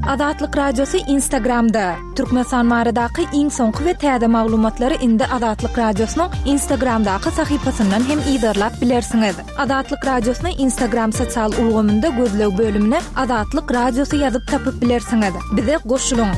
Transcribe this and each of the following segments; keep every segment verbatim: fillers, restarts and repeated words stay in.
Azatlyk Radiosy Instagramda. Türkmenistan baradaky iň soňky we täze maglumatlary indi Azatlyk Radiosynyň Instagramdaky sahypasyndan hem yzarlap bilersiňiz. Azatlyk Radiosyny Instagram sosial ulgamynda gözleg bölümine Azatlyk Radiosy ýazyp tapyp bilersiňiz. Bize goşulyň.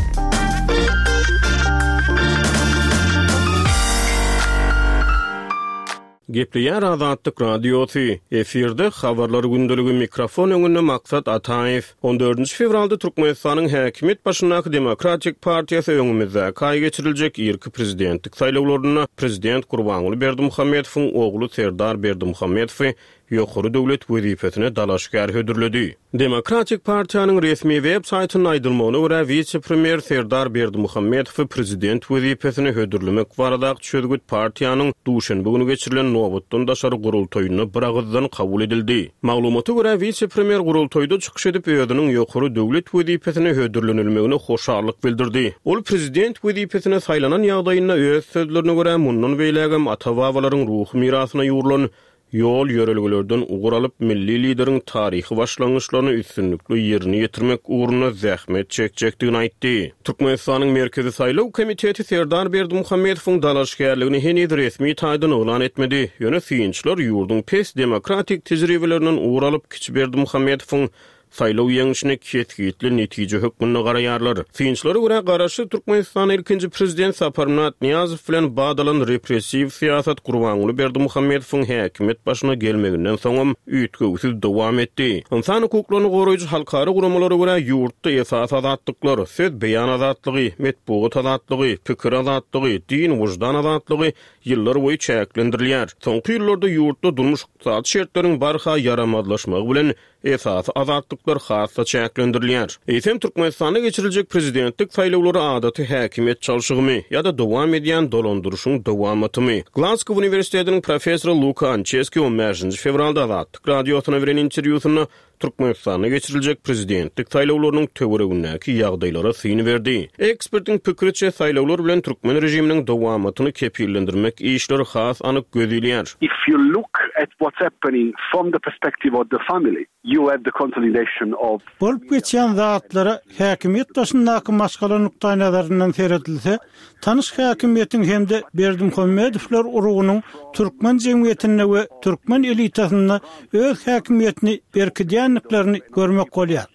Gepleýär Azatlyk Radiosy. Efirde habarlar gündeligi, mikrofon öňünde Maksat Ataýew. On dördünji fewralda Türkmenistanyň häkimiýet başyndaky Demokratik partiýasy öňümizdäki aý geçiriljek irki prezidentlik saýlawlarynda prezident Gurbanguly Berdimuhamedowyň ogly Serdar Berdimuhamedowy ýokary döwlet wezipesine dalaşgär hödürledi. Demokratik partiýanyň resmi web saýtynda aýdylmagyna görä, wise-premýer Serdar Berdimuhamedowy prezident wezipesine hödürlemek baradaky çözgüt partiýanyň duşenbe güni geçirilen nobatdan daşary gurultaýynda bir agyzdan kabul edildi. Maglumata görä, wise-premýer gurultaýda çykyş edip, özüniň ýokary döwlet wezipesine hödürlenilmegine hoşallyk bildirdi. Ol prezident wezipesine saýlanan ýagdaýynda öz sözlerine görä, mundan beýlägem ata-babalaryň ruhy mirasyna ýugrulan ýol ýörelgelerden ugur alyp, milli lideriň taryhy başlangyçlaryny üstünlikli ýerine ýetirmek ugrunda zähmet çekjekdigini aýtdy. Türkmenistanyň Merkezi saýlaw komiteti Serdar Berdimuhamedowyň dalaşgärligini heniz resmi taýdan yglan etmedi. Ýöne synçylar ýurduň pes demokratik tejribelerinden ugur alyp, kiçi Berdimuhamedowyň saýlaw ýeňşine kesgitli netije hökmünde garaýarlar. Synçylara görä, Garaşsyz Türkmenistanda ilkinji prezident Saparmyrat Nyýazow bilen badalan repressiw syýasat Gurbanguly Berdimuhamedowyň häkimiýet başyna gelmeginden soňam üýtgewsiz dowam etdi. Ynsan hukuklaryny goraýjy halkara guramalara görä, ýurtda esasy azatlyklar, söz beýan azatlygy, metbugat azatlygy, pikir azatlygy, din, wyždan azatlygy ýyllar boýy çäklendirilýär. Soňky ýyllarda ýurtda durmuş-ykdysady şertleriň barha ýaramazlaşmagy bilen esasy azatlyklar has-da çäklendirilýär. Eýsem, Türkmenistanda geçiriljek prezidentlik saýlawlary adaty häkimiýet çalşygymy ýa-da dowam edýän dolandyryşyň dowamatymy? Glasgow uniwersitetiniň professory Luka Ançeski on bäşinji fewralda Azatlyk Radiosyna beren interwýusynda Türkmenistanda geçiriljek prezidentlik saýlawlarynyň töweregindäki ýagdaýlara syn berdi. Ekspertiň pikiriçe, saýlawlar bilen türkmen režiminiň dowamatyny kepillendirmek işleri has anyk göz ilýär. If you look at what's happening from the perspective of the family, you have the consolidation of Bolup geçýän zatlara häkimiýet başyndaky maşgala nukdaýnazaryndan seredilse, tanyş häkimiýetiň hem-de Berdimuhamedowlar urugynyň türkmen jemgyýetinde we türkmen elitasynda öz häkimiýetini berkidýändiklerini görmek bolýar.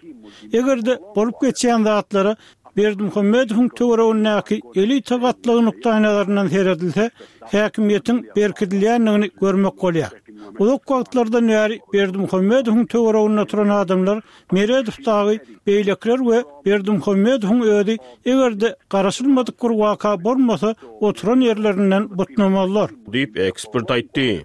Eger-de bolup geçýän zatlara Berdimuhamedowyň töweregindäki elita gatlagy nukdaýnazaryndan seredilse, häkimiýetiň berkidilýändigini görmek bolýar. Uzak wagtlardan bäri Berdimuhamedowyň töwereginde oturan adamlar Meredow dagy, beýlekiler we Berdimuhamedowyň özi eger-de garaşylmadyk bir waka bolmasa, oturan ýerlerinden butnamazlar. Diýip, ekspert aýtdy.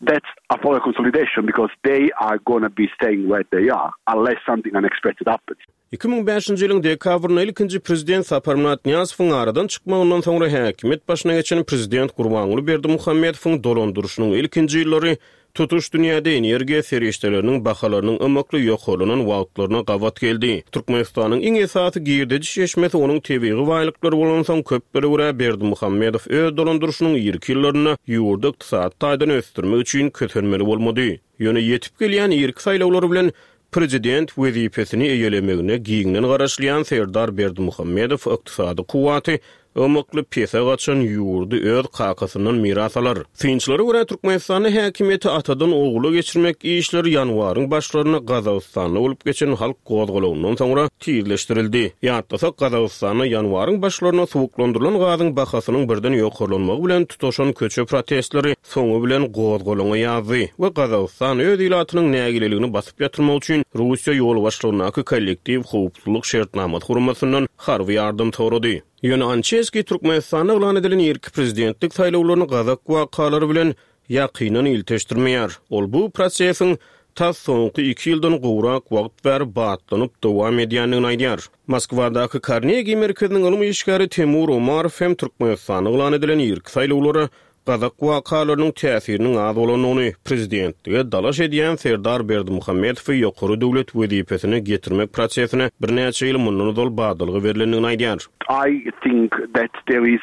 That's a power consolidation because they are gonna be staying where they are unless something unexpected happens. Iki müň bäşinji ýylyň dekabrynda ilkinji prezident Saparmyrat Nyýazowyň aradan çykmagyndan soňra häkimiýet başyna geçen prezident Gurbanguly Berdimuhamedowyň dolandyryşynyň ilkinji ýyllary tutuş dünýäde energiýa serişdeleriniň bahalarynyň ymykly ýokarlanan wagtlaryna gabat geldi. Türkmenistanyň iň esasy girdeji çeşmesi onuň tebigy baýlyklary bolansoň, köplere görä Berdimuhamedow öz dolandyryşynyň irki ýyllarynda ýurdy ykdysady taýdan ösdürmek üçin kösenmeli bolmady. Ýöne ýetip gelýän irki saýlawlar bilen prezident wezipesini eýelemegine giňden garaşylýan Serdar Berdimuhamedow ykdysady kuwwaty ymykly pese gaçan ýurdy öz kakasyndan miras alar. Synçylara görä, Türkmenistanda häkimiýeti atadan ogula geçirmek işleri ýanwaryň başlarynda Gazagystanda bolup geçen halk gozgalagyndan soňra tizleşdirildi. Ýatlasak, Gazagystanda ýanwaryň başlarynda suwuklandyrylan gazyň bahasynyň birden ýokarlanmagy bilen tutaşan köçe protestleri soňy bilen gozgalaňa ýazdy we Gazagystan öz ilatynyň nägileligini basyp ýatyrmak üçin Russiýa ýolbaşçylygyndaky kollektiw howpsuzlyk şertnamasy guramasyndan harby ýardam sorady. Ýöne Ançeski Türkmenistanda yglan edilen irki prezidentlik saýlawlaryny gazak wakalary bilen ýakyndan ilteşdirmeýär. Ol bu prosesiň tas soňky iki ýyldan gowrak wagt bäri batlanyp dowam edýändigini aýdýar. Moskwadaky Karnegi merkeziniň ylym işgäri Temur Omarow hem Türkmenistanda yglan edilen irki saýlawlara gazak wakalarynyň täsiriniň az bolandygyny, prezidentlige dalaş edýän Serdar Berdimuhamedowy ýokary döwlet wezipesine getirmek prosesine birnäçe ýyl mundan ozal badalga berlendigini aýdýar. I think that there is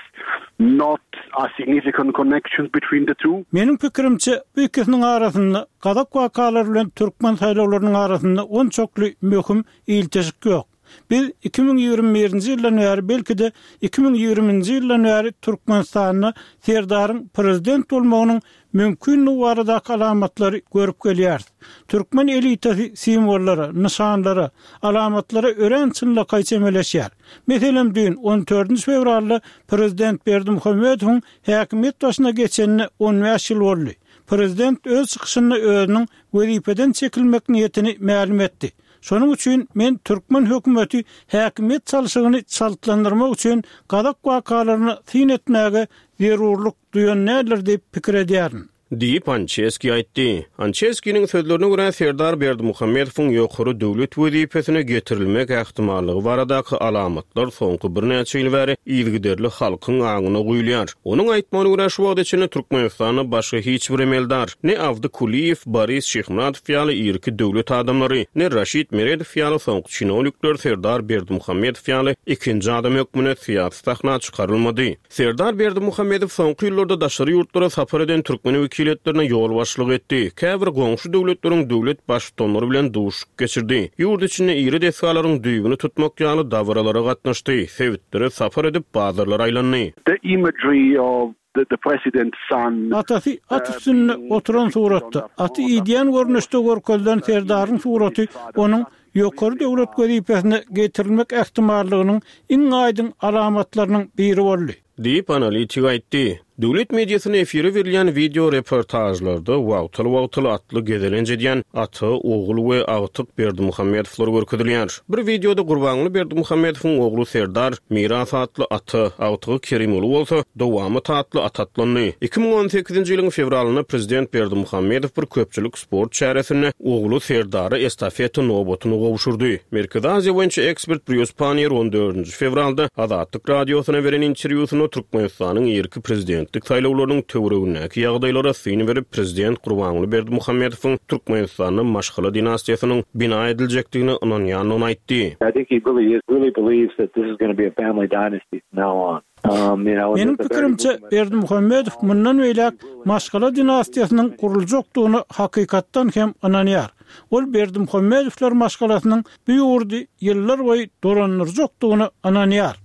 not a significant connection between the two. Meniň pikirimçe, bu ikisiniň arasynda, gazak wakalary bilen türkmen saýlawlarynyň arasynda onçakly möhüm ilteşik ýok. Biz iki müň ýigrimi birinji ýyldan bäri, belki-de iki müň ýigriminji ýyldan bäri Türkmenistanda Serdaryň prezident bolmagynyň mümkinligi baradaky alamatlary görüp gelýäris. Türkmen elitasy simwollara, nyşanlara, alamatlara örän çynlakaý çemeleşýär. Meselem, düýn, on dördünji fewralda prezident Berdimuhamedowyň häkimiýet başyna geçenine on bäş ýyl boldy. Prezident öz çykyşynda özüniň wezipeden çekilmek niýetini mälim etdi. Şonuň üçin men türkmen hökümeti häkimiýet çalşygyny çaltlandyrmak üçin gazak wakalaryna syn etmäge zerurlyk duýan däldir diýip pikir edýärin. Diýip, Ançeski aýtdy. Ançeskiniň sözlerine görä, Serdar Berdimuhamedowyň ýokary döwlet wezipesine getirilmek ähtimallygy baradaky alamatlar soňky birnäçe ýyl bäri yzygiderli halkyň aňyna guýulýar. Onuň aýtmagyna görä, şu wagta çenli Türkmenistanda başga hiç bir emeldar, ne Abdy Kuliýew, Boris Şyhmyradow ýaly irki döwlet adamlary, ne Raşid Meredow ýaly soňky çinownikler Serdar Berdimuhamedow ýaly ikinji adam hökmünde syýasy sahna çykarylmady. Serdar Berdimuhamedow soňky ýyllarda daşary ýurtlara sapar eden türkmen wekiliýetlerine ýolbaşçylyk etdi. Käbir goňşy döwletleriň döwlet baştutanlary bilen duşuşyk geçirdi. Ýurt içinde iri desgalaryň düýbüni tutmak ýaly dabaralara gatnaşdy. Sebitlere sapar edip bazarlara aýlandy. The imagery of the, the president's son, Atasy at üstünde oturan suratda, aty idýän görnüşde görkezilen Serdaryň suraty onuň ýokary döwlet wezipesine getirilmek ähtimallygynyň iň aýdyň alamatlarynyň biri boldy. Diýip analitik aýtdy. Döwlet mediasyna efire berilýän video reportajlarda wagtal-wagtal atly gezelenç edýän ata, ogul we agtyk Berdimuhamedowlar görkezilýär. Bir videoda Gurbanguly Berdimuhamedowyň ogly Serdar Miras atly ata, agtygy Kerimguly bolsa Dowamat atly at atlandy. Iki müň on sekizinji ýylyň fewralynda prezident Berdimuhamedow bir köpçülik sport çäresinde ogly Serdara estafeta nobatyny gowşurdy. Merkezi Aziýa boýunça ekspert Brýus Pannier on dördünji fewralda Azatlyk radiosyna beren interwýusynda Türkmenistanyň irki prezidentlik saýlawlarynyň töweregindäki ýagdaýlara syn berip, prezident Gurbanguly Berdimuhamedowyň Türkmenistanda maşgala dinastiýasynyň bina ediljekdigine ynanýandygyny aýtdy. I think he really is, really believes that this is gonna be a family dynasty from now on. Um, you know, and Meniň the very pikirimçe, movement Berdimuhamedow mundan beýläk maşgala dinastiýasynyň guruljakdygyna hakykatdan hem ynanýar. Ol Berdimuhamedowlar maşgalasynyň bu ýurdy ýyllar boýy dolandyrjakdygyna ynanýar.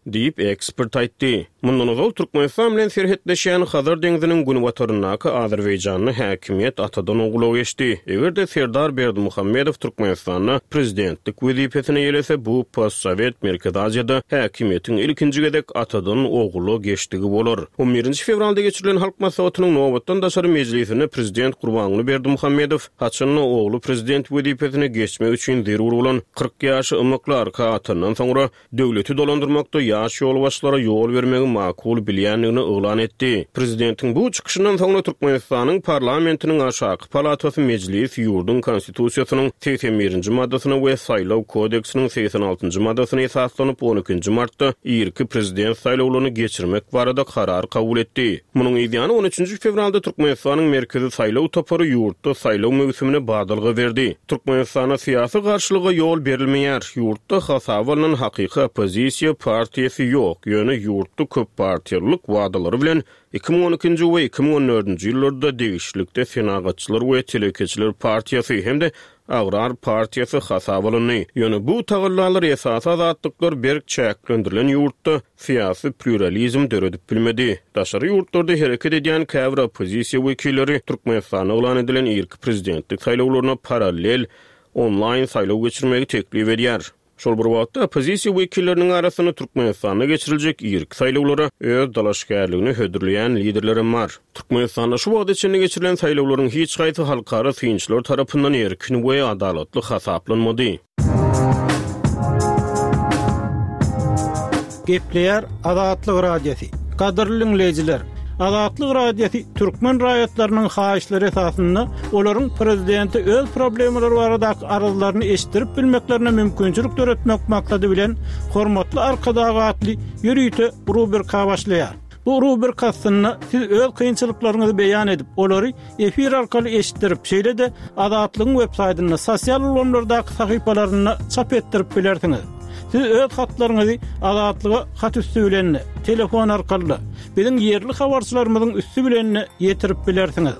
Diýip ekspert aýtdy. Mundan ozal Türkmenistan bilen serhetleşýän Hazar deňziniň günbataryndaky Azerbaýjanda häkimiýet atadan ogula geçdi. Eger-de Serdar Berdimuhamedow Türkmenistanda prezidentlik wezipesine ýelese, bu postsovet Merkezi Aziýada häkimiýetiň ilkinji gezek atadan ogula geçdigi bolar. on birinji fewralda geçirilen Halk Maslahatynyň nobatdan daşary mejlisinde prezident Gurbanguly Berdimuhamedow haçanda ogly prezident wezipesine geçmek üçin zerur bolan kyrk ýaşy ymykly arka atandan soňra döwleti dolandyrmakda ýaş ýolbaşçylara ýol bermegi makul bilýändigini yglan etdi. Prezidentiň bu çykyşyndan soňra Türkmenistanyň parlamentiniň aşaky palatasy mejlis ýurduň konstitusiýasynyň segsen birinji maddasyna we saýlaw kodeksiniň segsen altynjy maddasyna esaslanyp on ikinji martda irki prezident saýlawlaryny geçirmek barada karar kabul etdi. Munuň ýany on üçünji fewralda Türkmenistanyň merkezi saýlaw topary ýurtda saýlaw möwsümine badalga berdi. Türkmenistana syýasy garşylyga ýol berilmeýär. Ýurtda hasaba alnan hakyky oppozisiýa partiýasy ýok. Ýöne ýurtda köp partiýalylyk wadalary bilen iki müň on ikinji we iki müň on dördünji ýyllarda degişlilikde Senagatçylar we Telekeçiler partiýasy hem-de Agrar partiýasy hasaba alyndy. Ýöne bu tagallalar esasy azatlyklar berk çäklendirilen ýurtda syýasy pluralizm döredip bilmedi. Daşary ýurtlarda hereket edýän käbir oppozisiýa wekilleri Türkmenistanda yglan edilen irki prezidentlik saýlawlaryna parallel onlaýn saýlaw geçirmegi teklip edýär. Şol bir wagtda oppozisiýa wekilleriniň arasynda Türkmenistanda geçiriljek irki saýlawlara öz dalaşgärligini hödürleýän liderlerem bar. Türkmenistanda şu wagta çenli geçirilen saýlawlaryň hiç haýsy halkara synçylar tarapyndan erkin we adalatly hasaplanmady. Gepleýär Azatlyk Radiosy. Gadyrly dinleýjiler, Azatlyk Radiosy türkmen raýatlarynyň haýyşlary esasynda olaryň prezidenti öz problemalary baradaky arzlaryny eşitdirip bilmeklerine mümkinçilik döretmek maksady bilen Hormatly Arkadag atly ýörite rubrika başlaýar. Bu rubrika aslynda siz öz kynçylyklaryňyzy beýan edip, olary efir arkaly eşitdirip, şeýle-de Azatlygyň web saýtynda, sosial ulgamlardaky sahypalarynda çap etdirip bilersiňiz. Siz öz hatlaryňyzy Azatlyga hat üstü bilen, telefon arkaly, biziň ýerli habarçylarymyzyň üstü bilen ýetirip bilersiňiz.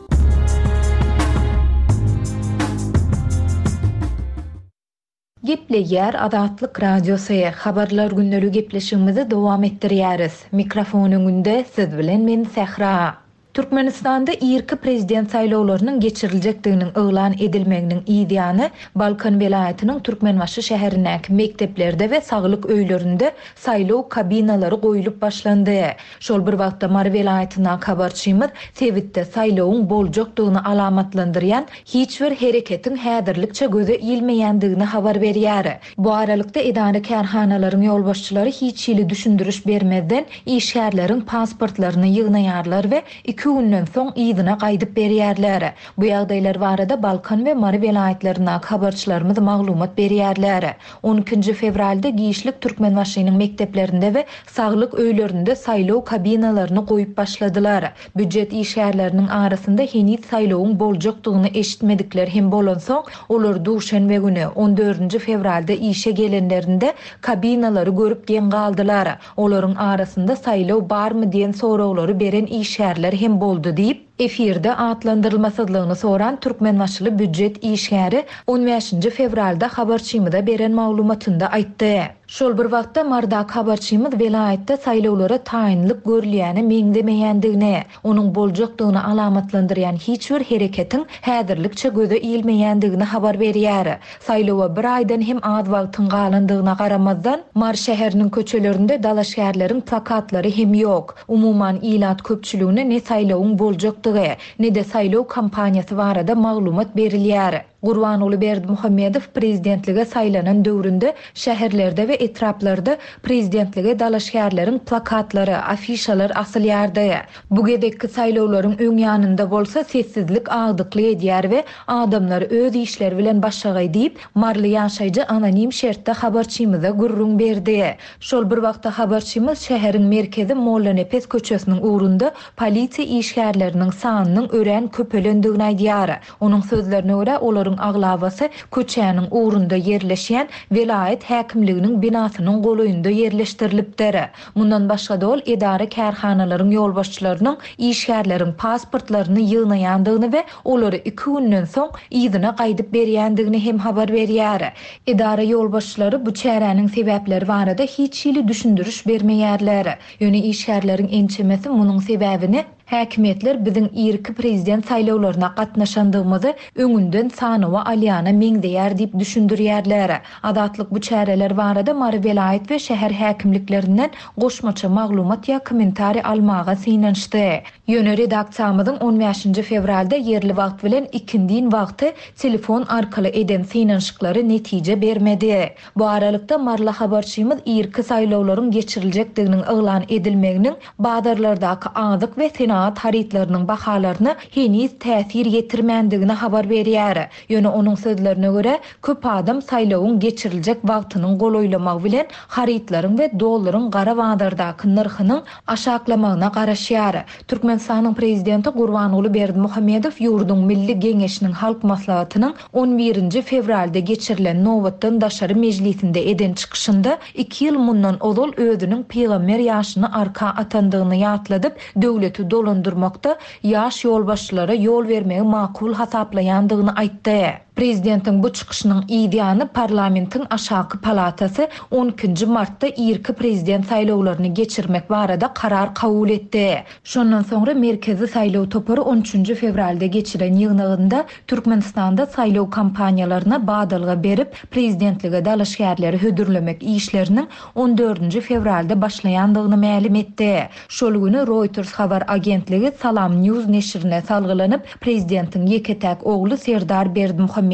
Gepleýär Azatlyk Radiosy, Habarlar gündeligi gepleşigimizi dowam etdirýäris. Mikrofon öňünde siz bilen men Sähra. Türkmenistanda irki prezident saýlawlarynyň geçiriljekdiginiň yglan edilmeginiň yz ýany, Balkan welaýatynyň Türkmenbaşy şäherindäki mekdeplerde we saglyk öýlerinde saýlaw kabinalary goýlup başlandy. Şol bir wagtda Mary welaýatyndaky habarçymyz sebitde saýlawyň boljakdygyny alamatlandyrýan hiç bir hereketiň häzirlikçe göze ilmeýändigini habar berýär. Bu aralykda edara-kärhanalaryň ýolbaşçylary hiç hili düşündiriş bermezden işgärleriň pasportlaryny ýygnaýarlar we iki günden soň yzyna gaýdyp berýärler. Bu ýagdaýlar barada Balkan we Mary welaýatlaryndaky habarçylarymyz maglumat berýärler. On ikinji fewralda giçlik Türkmenbaşynyň mekdeplerinde we saglyk öýlerinde saýlaw kabinalaryny goýup başladylar. Býujet işgärleriniň arasynda heniz saýlawyň boljakdygyny eşitmedikler hem bolansoň, olar duşenbe güni on dördünji fewralda işe gelenlerinde kabinalary görüp geň galdylar. Olaryň arasynda saýlaw barmy diýen soraglary beren işgärler hem boldy diýip, efirde atlandyrylmasyzlygyny soran Türkmenbaşyly býujet işgäri on bäşinji fewralda habarçymyza beren maglumatynda aýtdy. Şol bir wagtda Mardak habarçymyz welaýatda saýlawlara taýynlyk görülýäne meňzemeýändigini, onuň boljakdygyny alamatlandyrýan hiç bir hereketiň häzirlikçe göze ilmeýändigini habar berýär. Saýlawa bir aýdan hem az wagtyň galandygyna garamazdan, Mar şäheriniň köçelerinde dalaşgärleriň plakatlary hem ýok. Umuman ilat köpçüligine ne saýlawyň boljakdygy, ne-de saýlaw kampaniýasy barada maglumat berilýär. Gurbanguly Berdimuhamedow prezidentlige saýlanan döwründe şäherlerde we etraplarda prezidentlige dalaşgärleriň plakatlary, afişalar asylýardy. Bu gezekki saýlawlaryň öň ýanynda bolsa sessizlik agdykly edýär we adamlar öz işleri bilen başagaý diýip, Marly ýaşaýjy anonim şertde habarçymyza gürrüň berdi. Şol bir wagtda habarçymyz şäheriň merkezi Mollanepes köçesiniň ugrunda polisiýa işgärleriniň sanynyň örän köpelendigini aýdýar. Onuň sözlerine görä, olaryň aglabasy köçäniň ugrunda ýerleşýän welaýat häkimliginiň binasynyň golaýynda ýerleşdirilipdir. Mundan başga-da ol edara kärhanalaryň ýolbaşçylarynyň işgärleriň pasportlaryny ýygnaýandygyny we olary iki günden soň yzyna gaýdyp berýändigini hem habar berýär. Edara ýolbaşçylary bu çäräniň sebäpleri barada hiç hili düşündiriş bermeýärler. Ýöne işgärleriň ençemesi munuň sebäbini häkimiýetler biziň irki prezident saýlawlaryna gatnaşandygymyzy öňünden sanawa alýana meňzeýär diýip düşündirýärler. Azatlyk bu çäreler barada Mary welaýat we şäher häkimliklerinden goşmaça maglumat ýa kommentariý almaga synanyşdy. Ýöne redaksiýamyzyň on bäşinji fewralda ýerli wagt bilen ikindin wagty telefon arkaly eden synanyşyklary netije bermedi. Bu aralykda Marly habarçymyz irki saýlawlaryň geçiriljekdiginiň yglan edilmeginiň bazarlardaky azyk we senagat harytlarynyň bahalaryna heniz täsir ýetirmändigini habar berýär. Ýöne onuň sözlerine görä, köp adam saýlawyň geçiriljek wagtynyň golaýlamagy bilen harytlaryň we dollaryň gara bazardaky nyrhynyň aşaklamagyna garaşýar. Türkmenistanyň prezidenti Gurbanguly Berdimuhamedow ýurduň Milli Geňeşiniň Halk Maslahatynyň on birinji fewralda geçirilen nobatdan daşary mejlisinde eden çykyşynda iki ýyl mundan ozal özüniň pygamber ýaşyny arka atandygyny ýatladyp, döwleti dolandyrmakda ýaş ýolbaşçylara ýol bermegi makul hasaplaýandygyny aýtdy. Prezidentiň bu çykyşynyň yz ýany parlamentiň aşaky palatasy on ikinji martda irki prezident saýlawlaryny geçirmek barada karar kabul etdi. Şondan soňra Merkezi saýlaw topary on üçünji fewralda geçiren ýygnagynda Türkmenistanda saýlaw kampaniýalaryna badalga berip, prezidentlige dalaşgärleri hödürlemek işleriniň on dördünji fewralda başlaýandygyny mälim etdi. Şol güni Reuters habar agentligi Salam News neşirine salgylanyp, prezidentiň ýeke-täk ogly Serdar Berdimuhamedowyň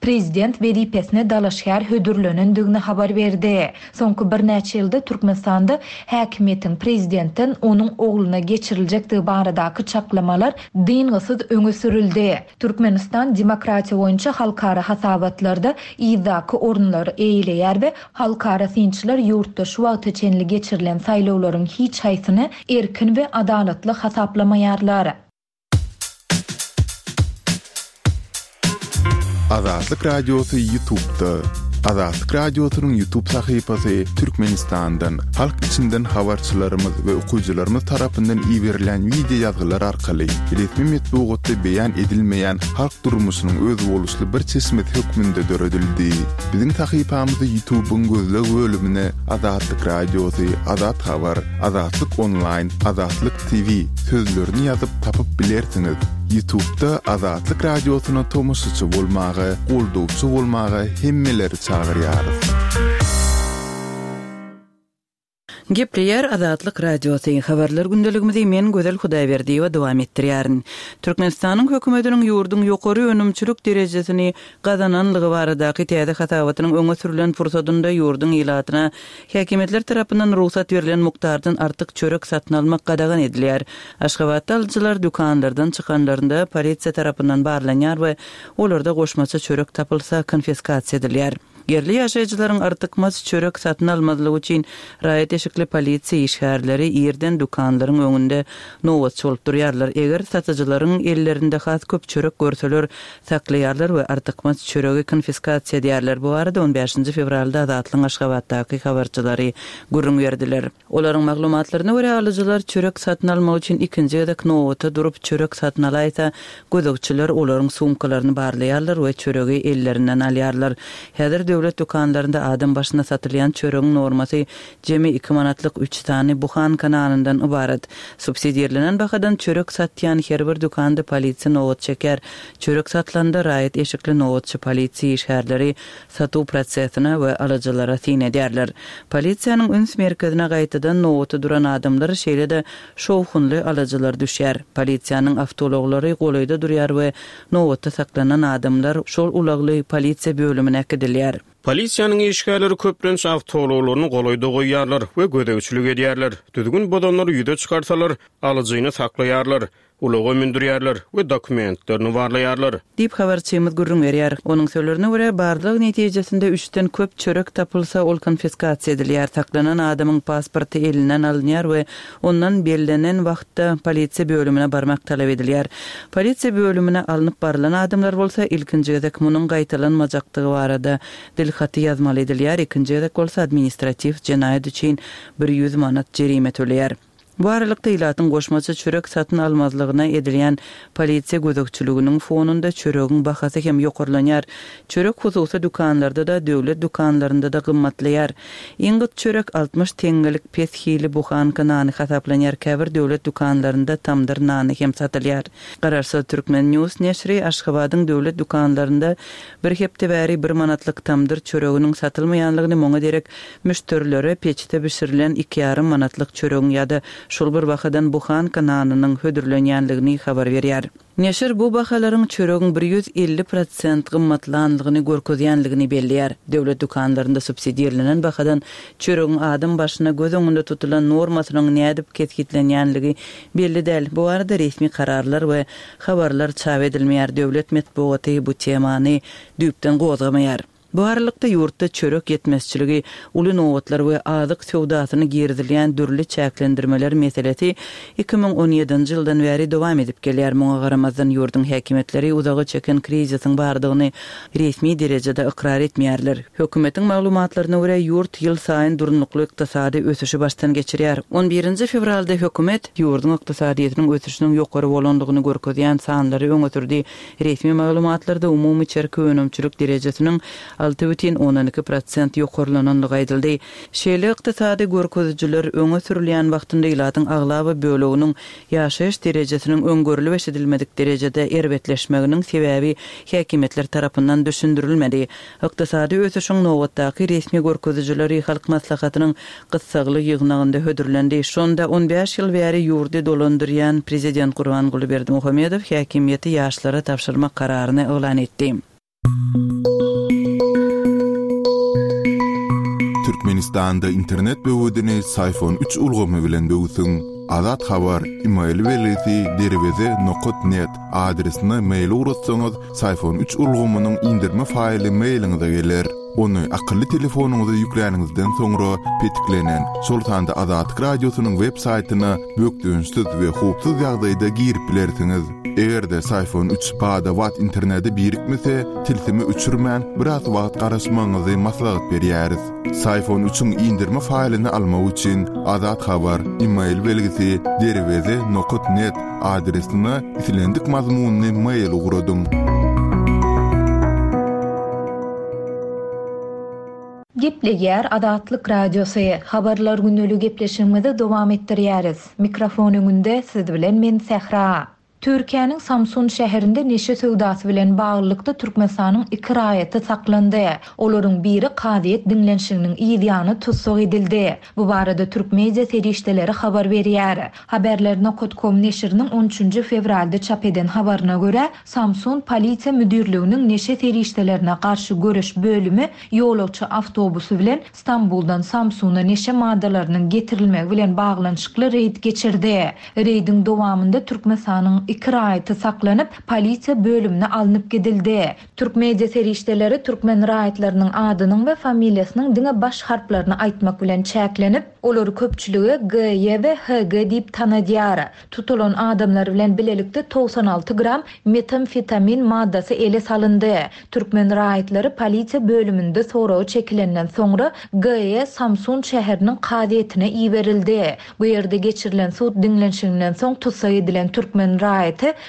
prezident wezipesine dalaşgär hödürlenendigini habar berdi. Soňky birnäçe ýylda Türkmenistanda häkimiýetiň prezidentden onuň ogluna geçiriljekdigi baradaky çaklamalar dyngysyz öňe sürüldi. Türkmenistan demokratiýa boýunça halkara hasabatlarda yzdaky orunlary eýeleýär we halkara synçylar ýurtda şu wagta çenli geçirilen saýlawlaryň hiç haýsyny erkin we adalatly hasaplamaýarlar. Azatlyk Radiosy YouTube'da. Azatlyk Radiosynyň YouTube sahypasy Türkmenistandan, halk içinden habarçylarymyz we okyjylarymyz tarapyndan iberilen wideo ýazgylar arkaly resmi metbugatda beýan edilmeýän halk durmuşynyň özboluşly bir çeşmesi hökmünde döredildi. Biziň sahypamyzy YouTube'yň gözleg bölümine Azatlyk Radiosy, Azat Habar, Azatlyk Online, Azatlyk T V sözlerini ýazyp tapyp bilersiňiz. YouTube'da Azatlyk Radiosyna tomaşaçy bolmaga, goldawçy bolmaga hemmeleri çagyrýarys. Gepleýär Azatlyk Radiosy. Habarlar gündeligimizi men Gözel Hudaýberdiýewa dowam etdirýärin. Türkmenistanyň hökümetiniň ýurduň ýokary önümçilik derejesini gazananlygy baradaky täze hasabatynyň öňe sürülen pursadynda ýurduň ilatyna häkimiýetler tarapyndan rugsat berlen mukdardan artyk çörek satyn almak gadagan edilýär. Aşgabatda alyjylar dükanlardan çykanlarynda polisiýa tarapyndan barlanýar we olarda goşmaça çörek tapylsa konfiskasiýa edilýär. Ýerli ýaşaýjylaryň artykmaç çörek satyn almazlygy üçin raýat eşikli polisiýa işgärleri irden dükanlaryň öňünde nobatçy bolup durýarlar. Eger satyjylaryň ellerinde has köp çörek görseler, saklaýarlar we artykmaç çöregi konfiskasiýa edýärler. Bu barada on bäşinji fewralda Azatlygyň Aşgabatdaky habarçylary gürrüň berdiler. Olaryň maglumatlaryna görä, alyjylar çörek satyn almak üçin ikinji gezek nobata durup çörek satyn alaýsa, gözegçiler olaryň sumkalaryny barlaýarlar we çöregi ellerinden alýarlar. Häzir döwlet dükanlarynda adam başyna satylýan çöregiň normasy jemi iki manatlyk üç sany buhanka nanyndan ybarat. Subsidirlenen bahadan çörek satýan her bir dükanda polisiýa nobat çeker. Çörek satylanda raýat eşikli nobatçy polisiýa işgärleri satuw prosesine we alyjylara syn edýärler. Polisiýanyň üns merkezine gaýtadan nobata duran adamlar, şeýle-de şowhunly alyjylar düşýär. Polisiýanyň awtoulaglary golaýda durýar we nobatda saklanan adamlar şol ulagly polisiýa bölümine äkidilýär. Polisiýanyň işgärleri köplenç awtoulaglaryny golaýda goýýarlar we gözegçilik edýärler. Düzgün bozanlary ýüze çykarsalar, alyjyny saklaýarlar, ulaga mündürýärler we dokumentlerini barlaýarlar. Diýip habarçymyz gürrüň berýär. Onuň sözlerine görä, barlag netijesinde üçden köp çörek tapylsa, ol konfiskasiýa edilýär. Saklanan adamyň pasporty elinden alynýar we ondan bellenen wagtda polisiýa bölümine barmak talap edilýär. Polisiýa bölümine alnyp barylan adamlar bolsa ilkinji gezek munuň gaýtalanmajakdygy barada dilhaty ýazmaly edilýär, ikinji gezek bolsa administratiw jenaýat üçin bir ýüz manat jerime töleýär. Bu aralykda ilatyň goşmaça çörek satyn almazlygyna edilýän polisiýa gözegçiliginiň fonunda çöregiň bahasy hem ýokarlanýar. Çörek hususy dükanlarda-da, döwlet dükanlarynda-da gymmatlaýar. Iň gyt çörek altmyş teňňelik pes hili buhanka nany hasaplanýar. Käbir döwlet dükanlarynda tamdyr nany hem satylýar. Garaşsyz Türkmen News neşiri Aşgabadyň döwlet dükanlarynda bir hepde bäri bir manatlyk tamdyr çöreginiň satylmaýanlygyny, muňa derek müşderilere peçde bişirilen iki ýarym manatlyk çöregiň ýa-da şol bir bahadan buhanka nanynyň hödürlenýänligini habar berýär. Neşir bu bahalaryň çöregiň bir ýüz elli prosent gymmatlanlygyny görkezýänligini belleýär. Döwlet dükanlarynda subsidirlenen bahadan çöregiň adam başyna göz öňünde tutulan normasynyň nädip kesgitlenýänligi belli däl. Bu barada resmi kararlar we habarlar çap edilmeýär. Döwlet metbugaty bu temany düýpden gozgamaýar. Bu aralykda ýurtda çörek ýetmezçiligi, uly nobatlar we azyk söwdasyna girizilýän dürli çäklendirmeler meselesi iki müň on ýedinji ýyldan bäri dowam edip gelýär. Muňa garamazdan ýurduň häkimiýetleri uzaga çeken krizisiň bardygyny resmi derejede ykrar etmeýärler. Hökümetiň maglumatlaryna görä, ýurt ýyl saýyn durnukly ykdysady ösüşi başdan geçirýär. on birinji fewralda hökümet ýurduň ykdysadyýetiniň ösüşiniň ýokary bolandygyny görkezýän sanlary öňe sürdi. Resmi maglumatlarda umumy içerki önümçilik derejesiniň alty bütin ondan iki prosent ýokarlanandygy aýdyldy. Şeýle ykdysady görkezijiler öňe sürülýän wagtynda ilatyň aglaba böleginiň ýaşaýyş derejesiniň öňgörülip eşidilmedik derejede erbetleşmeginiň sebäbi häkimiýetler tarapyndan düşündirilmedi. Ykdysady ösüşiň nobatdaky resmi görkezijileri Halk Maslahatynyň gyssagly ýygnagynda hödürlendi. Şonda on bäş ýyl bäri ýurdy dolandyrýan prezident Gurbanguly Berdimuhamedow häkimiýeti ýaşlara tabşyrmak kararyny yglan etdi. Türkmenistanda internet böwedini Psiphon üç ulgamy bilen böwsüň. Azat Habar email belgisi derweze nokat net adresine mail ugratsaňyz, Psiphon üç ulgamynyň indirme faýly mailiňize geler. Ony akylly telefonyňyza ýükläniňizden soňra petiklenen, şol sanda Azatlyk Radiosynyň web saýtyna bökdençsiz we howpsuz ýagdaýda girip bilersiňiz. Eger-de Psiphon üç bada-bat internete birikmese, tilsimi öçürmän biraz wagt garaşmagyňyzy maslahat berýäris. Psiphon üçiň indirme faýlyny almak üçin Azat Habar e-mail belgisi derweze nokat net adresine islendik mazmunly mail ugradyň. Gepleýär Azatlyk Radiosy. Habarlar günlügi gepleşigimizi dowam etdirýäris. Mikrofon öňünde siz bilen men Sähra. Türkiýäniň Samsun şäherinde neşe söwdasy bilen baglylykda Türkmenistanyň iki raýaty saklandy. Olaryň biri kazyýet diňlenişiginiň yz ýany tussag edildi. Bu barada türk media serişdeleri habar berýär. Haberler nokat com neşiriniň on üçünji fewralda çap eden habaryna görä, Samsun Polisiýa Müdirliginiň neşe serişdelerine garşy göreş bölümi ýolagçy awtobusy bilen Stambuldan Samsuna neşe maddalarynyň getirilmegi bilen baglanyşykly reýd geçirdi. Reýdiň dowamynda Türkmenistanyň iki raýaty saklanyp, polisiýa bölümine alnyp gidildi. Türk media serişdeleri türkmen raýatlarynyň adynyň we familiýasynyň diňe baş harplaryny aýtmak bilen çäklenip, olary köpçüligi G, Y we H, G diýip tanadýar. Tutulan adamlar bilen bilelikde togsan alty gram metamfetamin maddasy ele salyndy. Türkmen raýatlary polisiýa bölüminde soragy çekilenden soňra G E Samsun şäheriniň kazyýetine iberildi. Bu ýerde geçirilen sud diňlenişiginden soň tussag edilen türkmen raýaty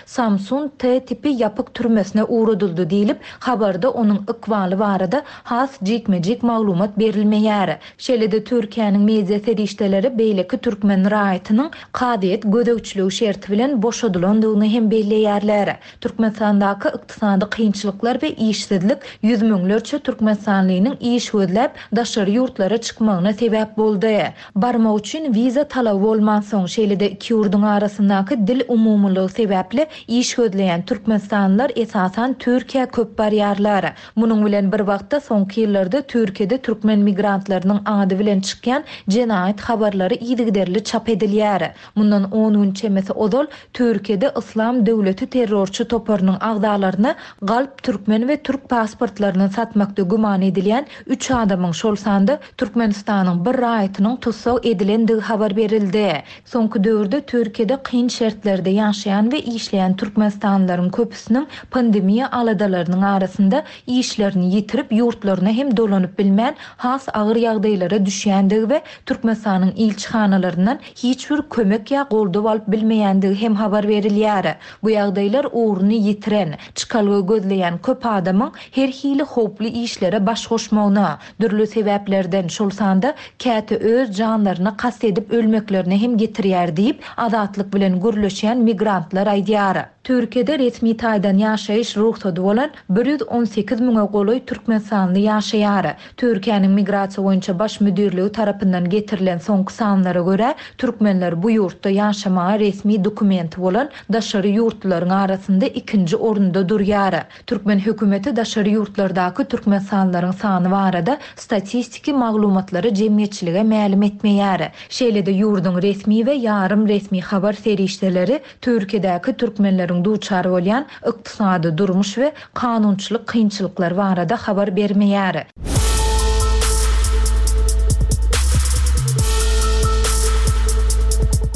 Samsun T tipi ýapyk türmesine ugradyldy diýlip, habarda onuň ykbaly barada has jikme-jik maglumat berilmeýär. Şeýle-de Türkiýäniň media serişdeleri beýleki türkmen raýatynyň kazyýet gözegçiligi şerti bilen boşadylandygyny hem belleýärler. Türkmenistandaky ykdysady kynçylyklar we işsizlik ýüz müňlerçe türkmenistanlynyň iş gözläp daşary ýurtlara çykmagyna sebäp boldy. Barmak üçin wiza talaby bolmansoň, şeýle-de iki ýurduň arasyndaky dil umumylygy sebäpli iş gözleýän türkmenistanlylar esasan Türkiýä köp barýarlar. Munuň bilen bir wagtda soňky ýyllarda Türkiýede türkmen migrantlarynyň ady bilen çykýan jenaýat habarlary yzygiderli çap edilýär. Mundan on gün çemesi ozal Türkiýede Islam döwleti terrorçy toparynyň agzalaryna galp türkmen we türk pasportlaryny satmakda güman edilýän üç adamyň şol sanda Türkmenistanyň bir raýatynyň tussag edilendigi habar berildi. Soňky döwürde Türkiýede kyn şertlerde ýaşaýan we işleýän türkmenistanlylaryň köpüsiniň pandemiýa aladalarynyň arasynda işlerini ýitirip ýurtlaryna hem dolanyp bilmän has agyr ýagdaýlara düşýändigi we Türkmenistanyň ilçihanalaryndan hiç bir kömek ýa goldaw alyp bilmeýändigi hem habar berilýär. Bu ýagdaýlar ugruny ýitiren, çykalga gözleýän köp adamyň her hili howply işlere baş goşmagyna, dürli sebäplerden şol sanda käte öz janlaryna kast edip ölmeklerine hem getirýär diýip, Azatlyk bilen gürleşýän migrantlar aýdýar. Türkiýede resmi taýdan ýaşaýyş rugsady bolan bir ýüz on sekiz müňe golaý türkmenistanly ýaşaýar. Türkiýäniň migrasiýa boýunça baş müdirligi tarapyndan getirilen soňky sanlara görä, türkmenler bu ýurtda ýaşamaga resmi dokumenti bolan daşary ýurtlaryň arasynda ikinji orunda durýar. Türkmen hökümeti daşary ýurtlardaky türkmenistanlylaryň sany barada statistiki maglumatlary jemgyýetçilige mälim etmeýär. Şeýle-de ýurduň resmi we ýarym resmi habar serişdeleri Türkiýedäki türkmenleriň duçar bolýan ykdysady durmuş we kanunçylyk kynçylyklary barada habar bermeýär.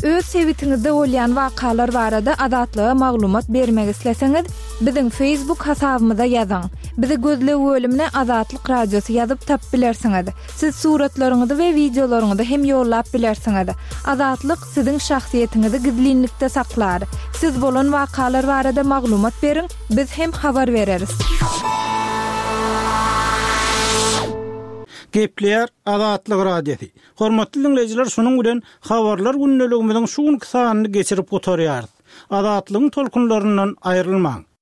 Öz sebitiňizde bolýan wakalar barada Azatlyga maglumat bermek isleseňiz, biziň Facebook hasabymyza ýazyň. Bizi gözleg bölümine Azatlyk Radiosy ýazyp tap bilersiňiz. Siz suratlaryňyzy we wideolaryňyzy hem ýollap bilersiňiz. Azatlyk siziň şahsyýetiňizi gizlinlikde saklar. Siz bolan wakalar barada maglumat beriň, biz hem habar bereris. Gepleýär Azatlyk Radiosy. Hormatly dinleýjiler, şunuň bilen habarlar gündeligimiziň şu günki sanyny geçirip gutarýarys. Azatlygyň tolkunlaryndan aýrylmaň.